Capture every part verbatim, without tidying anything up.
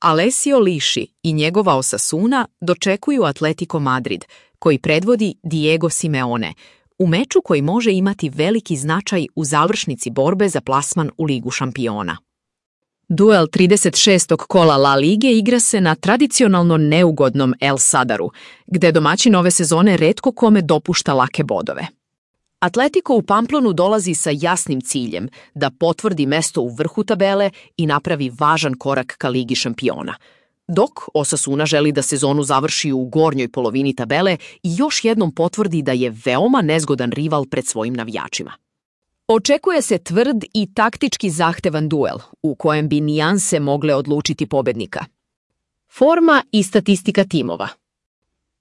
Alessio Liši i njegova Osasuna dočekuju Atletico Madrid, koji predvodi Diego Simeone, u meču koji može imati veliki značaj u završnici borbe za plasman u Ligu šampiona. Duel trideset šestog kola La Lige igra se na tradicionalno neugodnom El Sadaru, gde domaćin ove sezone retko kome dopušta lake bodove. Atletico u Pamplonu dolazi sa jasnim ciljem da potvrdi mesto u vrhu tabele i napravi važan korak ka Ligi šampiona, dok Osasuna želi da sezonu završi u gornjoj polovini tabele i još jednom potvrdi da je veoma nezgodan rival pred svojim navijačima. Očekuje se tvrd i taktički zahtevan duel, u kojem bi nijanse mogle odlučiti pobednika. Forma i statistika timova.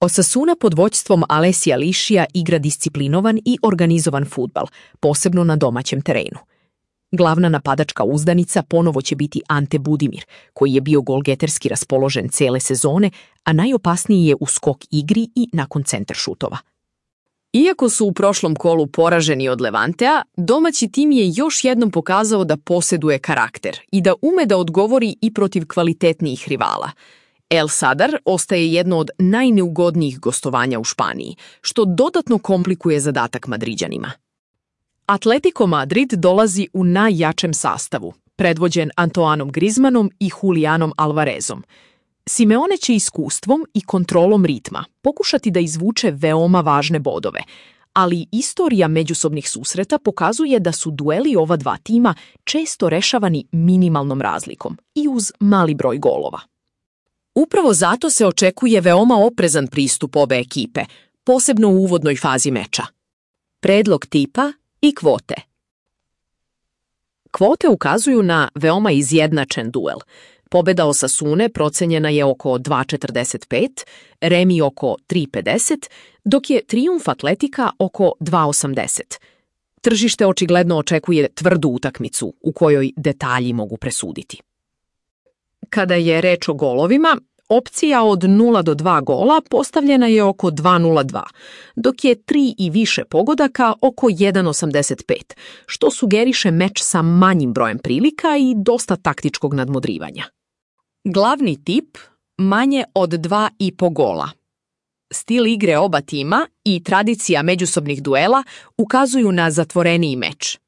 Osasuna pod vođstvom Alessia Lišija igra disciplinovan i organizovan fudbal, posebno na domaćem terenu. Glavna napadačka uzdanica ponovo će biti Ante Budimir, koji je bio golgeterski raspoložen cele sezone, a najopasniji je u skok igri i nakon centar šutova. Iako su u prošlom kolu poraženi od Levantea, domaći tim je još jednom pokazao da posjeduje karakter i da ume da odgovori i protiv kvalitetnijih rivala. El Sadar ostaje jedno od najneugodnijih gostovanja u Španiji, što dodatno komplikuje zadatak Madriđanima. Atletico Madrid dolazi u najjačem sastavu, predvođen Antoanom Griezmannom i Julianom Alvarezom. Simeone će iskustvom i kontrolom ritma pokušati da izvuče veoma važne bodove, ali istorija međusobnih susreta pokazuje da su dueli ova dva tima često rešavani minimalnom razlikom i uz mali broj golova. Upravo zato se očekuje veoma oprezan pristup obe ekipe, posebno u uvodnoj fazi meča. Predlog tipa i kvote. Kvote ukazuju na veoma izjednačen duel. Pobeda Osasune procenjena je oko dva četrdeset pet, remi oko tri pedeset, dok je trijumf Atletika oko dva osamdeset. Tržište očigledno očekuje tvrdu utakmicu u kojoj detalji mogu presuditi. Kada je reč o golovima, opcija od nula do dva gola postavljena je oko dva nula dva, dok je tri i više pogodaka oko jedan osamdeset pet, što sugeriše meč sa manjim brojem prilika i dosta taktičkog nadmudrivanja. Glavni tip manje od dva i po gola. Stil igre oba tima i tradicija međusobnih duela ukazuju na zatvoreniji meč.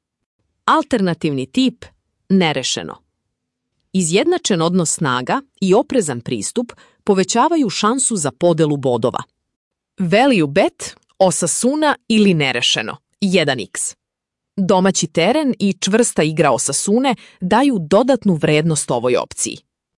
Alternativni tip nerešeno. Izjednačen odnos snaga i oprezan pristup povećavaju šansu za podelu bodova. Value bet, Osasuna ili nerešeno, jedan iks. Domaći teren i čvrsta igra Osasune daju dodatnu vrednost ovoj opciji.